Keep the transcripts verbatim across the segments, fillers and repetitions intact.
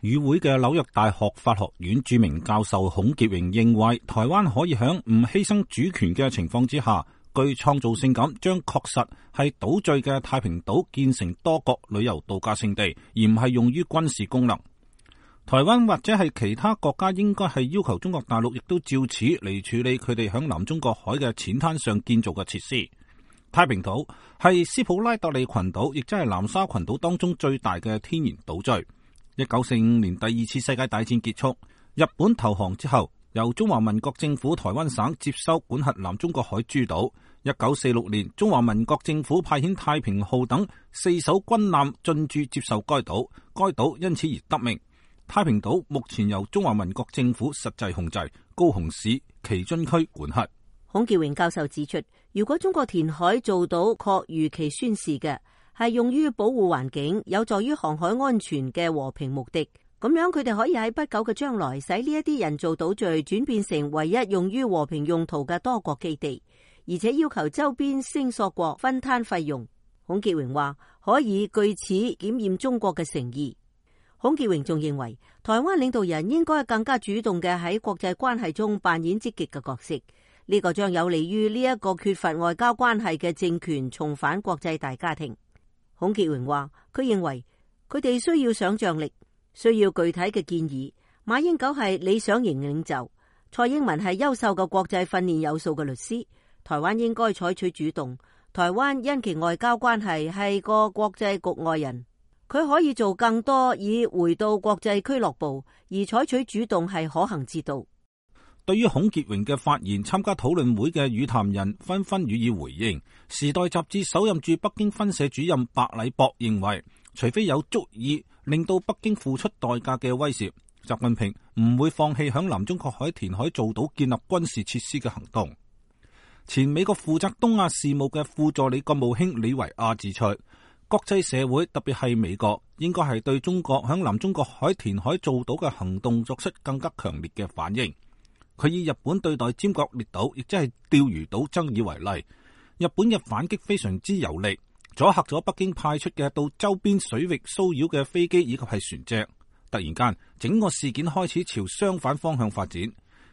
與會嘅紐約大學法學院著名教授孔潔榮認為，台灣可以喺唔犧牲主權嘅情況之下，具創造性咁將確實係島嶼嘅太平島建成多國旅遊度假勝地，而唔係用於軍事功能。台灣或者係其他國家應該係要求中國大陸亦都照此嚟處理佢哋響南中國海嘅淺灘上建造嘅設施。太平島係斯普拉特利群島，亦即係南沙群島當中最大嘅天然島嶼。一九四五年第二次世界大戰結束，日本投降之後，由中華民國政府台灣省接收管轄南中國海諸島。一九四六年，中華民國政府派遣太平號等四艘軍艦進駐接受該島，該島因此而得名。太平島目前由中華民國政府實際控制，高雄市旗津區管轄。孔潔榮教授指出，如果中國填海做到確如其宣示嘅，係用於保護環境，有助於航海安全嘅和平目的，咁樣佢哋可以喺不久嘅將來，使呢一啲人造島嶼轉變成唯一用於和平用途嘅多國基地，而且要求周邊聲索國分攤費用。孔潔榮話，可以據此檢驗中國嘅誠意。孔潔榮仲認為，台灣領導人應該更加主動嘅喺國際關係中扮演積極嘅角色，呢個將有利於呢一個缺乏外交關係嘅政權重返國際大家庭。孔潔榮話，佢認為佢哋需要想象力，需要具體嘅建議。馬英九係理想型領袖，蔡英文係優秀嘅國際訓練有素嘅律師。台灣應該採取主動。台灣因其外交關係係個國際局外人，佢可以做更多以回到國際俱樂部，而採取主動係可行之道。對於孔潔榮嘅發言，參加討論會嘅與談人紛紛予以回應。時代雜誌首任駐北京分社主任白禮博認為，除非有足以令到北京付出代價嘅威懾，習近平唔會放棄響南中國海填海造島建立軍事設施嘅行動。前美國負責東亞事務嘅副助理國務卿李維亞指出，國際社會特別係美國應該係對中國響南中國海填海造島嘅行動作出更加強烈嘅反應。佢以日本對待尖閣列島，亦即係釣魚島爭議為例，日本嘅反擊非常之有力，阻嚇咗北京派出嘅到周邊水域騷擾嘅飛機以及係船隻。突然間，整個事件開始朝相反方向發展。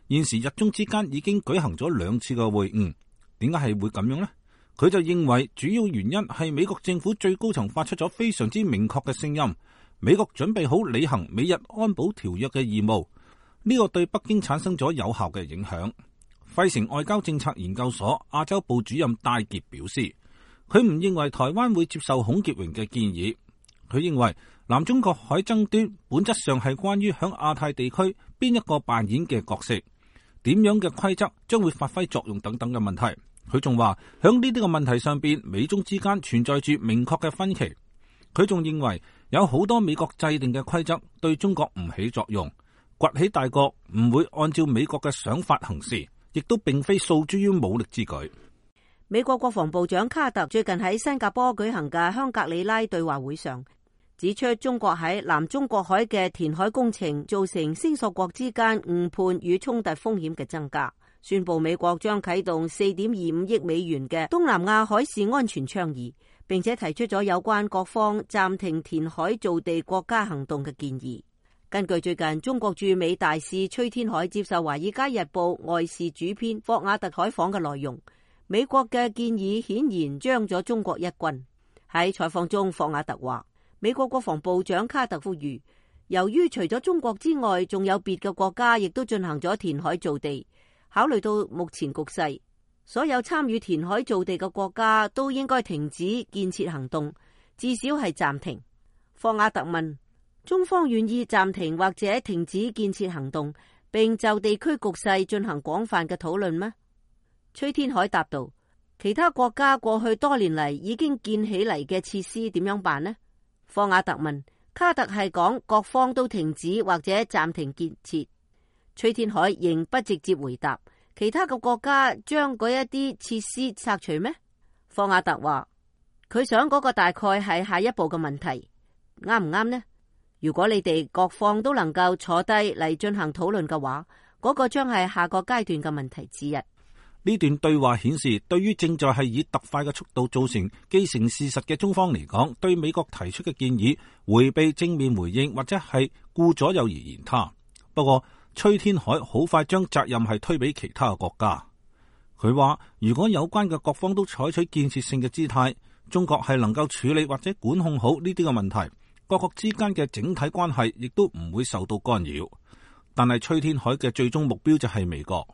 現時日中之間已經舉行咗兩次嘅會晤，點解係會咁樣呢？佢就認為主要原因係美國政府最高層發出咗非常之明確嘅聲音，美國準備好履行美日安保條約嘅義務。呢個對北京產生咗有效嘅影響。費城外交政策研究所亞洲部主任戴傑表示，佢唔認為台灣會接受孔潔榮嘅建議。佢認為南中國海爭端本質上係關於響亞太地區邊一個扮演嘅角色，點樣嘅規則將會發揮作用等等嘅問題。佢仲話響呢啲個問題上邊，美中之間存在住明確嘅分歧。佢仲認為有好多美國制定嘅規則對中國唔起作用。崛起大國唔會按照美國嘅想法行事，亦都並非訴諸於武力之舉。美國國防部長卡特最近喺新加坡舉行嘅香格里拉對話會上，指出中國喺南中國海嘅填海工程造成聲索國之間誤判與衝突風險嘅增加，宣布美國將啟動四點二五億美元嘅東南亞海事安全倡議，並且提出咗有關各方暫停填海造地國家行動嘅建議。根據最近中國駐美大使崔天凱接受《華爾街日報》外事主編霍瓦特採訪嘅內容，美國嘅建議顯然將咗中國一軍。喺採訪中，霍瓦特話，美國國防部長卡特呼籲，由於除咗中國之外，仲有別嘅國家亦都進行咗填海造地，考慮到目前局勢，所有參與填海造地嘅國家都應該停止建設行動，至少係暫停。霍瓦特問，中方願意暫停或者停止建設行動，並就地區局勢進行廣泛嘅討論嗎？崔天凱答道，其他國家過去多年嚟已經建起嚟嘅設施點樣辦呢？霍瓦特問，卡特係講各方都停止或者暫停建設。崔天凱仍不直接回答，其他嘅國家將嗰一啲設施拆除咩？霍瓦特話，佢想嗰個大概係下一步嘅問題，啱唔啱呢？如果你哋各方都能夠坐低嚟進行討論嘅話，嗰個將係下個階段嘅問題之一。呢段對話顯示，對於正在係以特快嘅速度造成既成事實嘅中方嚟講，對美國提出嘅建議迴避正面回應或者係顧左右而言他。不過，崔天凱好快將責任係推俾其他嘅國家。佢話，如果有關嘅各方都採取建設性嘅姿態，中國係能夠處理或者管控好呢啲嘅問題，各國之間嘅整體關係亦都唔會受到干擾。但係崔天凱嘅最終目標就係美國。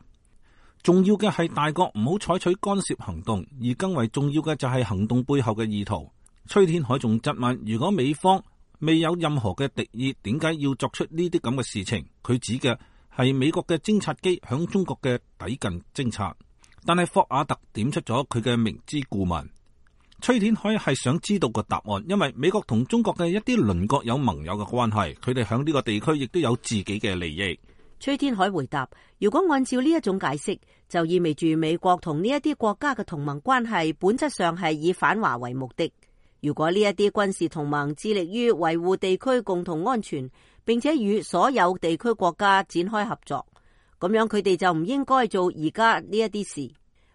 重要嘅係大國唔好採取干涉行動，而更為重要嘅就係行動背後嘅意圖。崔天凱仲質問，如果美方未有任何嘅敵意，點解要作出呢啲咁嘅事情？佢指嘅係美國嘅偵察機響中國嘅抵近偵察，但係霍瓦特點出咗佢嘅明知故問。崔天凱係想知道個答案，因為美國同中國嘅一啲鄰國有盟友嘅關係，佢哋響呢個地區亦都有自己嘅利益。崔天凱回答，如果按照呢一種解釋，就意味住美國同呢一啲國家嘅同盟關係本質上係以反華為目的。如果呢一啲軍事同盟致力於維護地區共同安全，並且與所有地區國家展開合作，咁樣佢哋就唔應該做而家呢一啲事。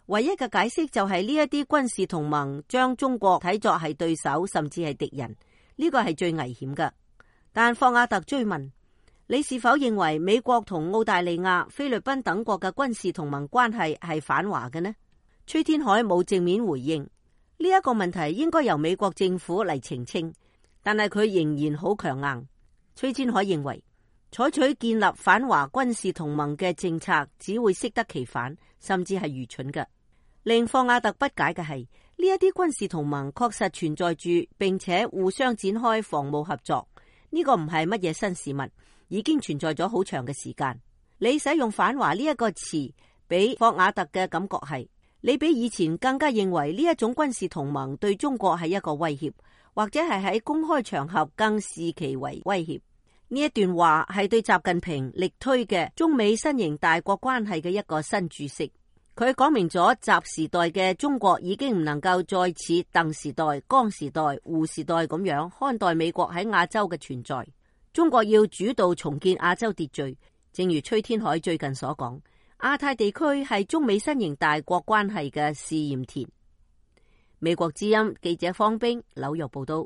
唯一嘅解釋就係呢一啲軍事同盟將中國睇作係對手，甚至係敵人，呢個係最危險嘅。但霍瓦特追問，你是否認為美國同澳大利亞、菲律賓等國嘅軍事同盟關係係反華嘅呢？崔天凱冇正面回應呢一個問題，應該由美國政府嚟澄清，但係佢仍然好強硬。崔天凱認為，採取建立反華軍事同盟嘅政策只會適得其反，甚至係愚蠢嘅。令霍瓦特不解嘅係，呢一啲軍事同盟確實存在住，並且互相展開防務合作，呢個唔係乜嘢新事物，已經存在咗好長嘅時間。你使用反華呢一個詞，俾霍瓦特嘅感覺係，你比以前更加認為呢一種軍事同盟對中國係一個威脅，或者係喺公開場合更視其為威脅。呢一段話係對習近平力推嘅中美新型大國關係嘅一個新注釋。佢講明咗習時代嘅中國已經唔能夠再似鄧時代、江時代、胡時代咁樣看待美國喺亞洲嘅存在。中國要主導重建亞洲秩序，正如崔天凱最近所講，亞太地區係中美新型大國關係嘅試驗田。美國之音記者方冰紐約報道。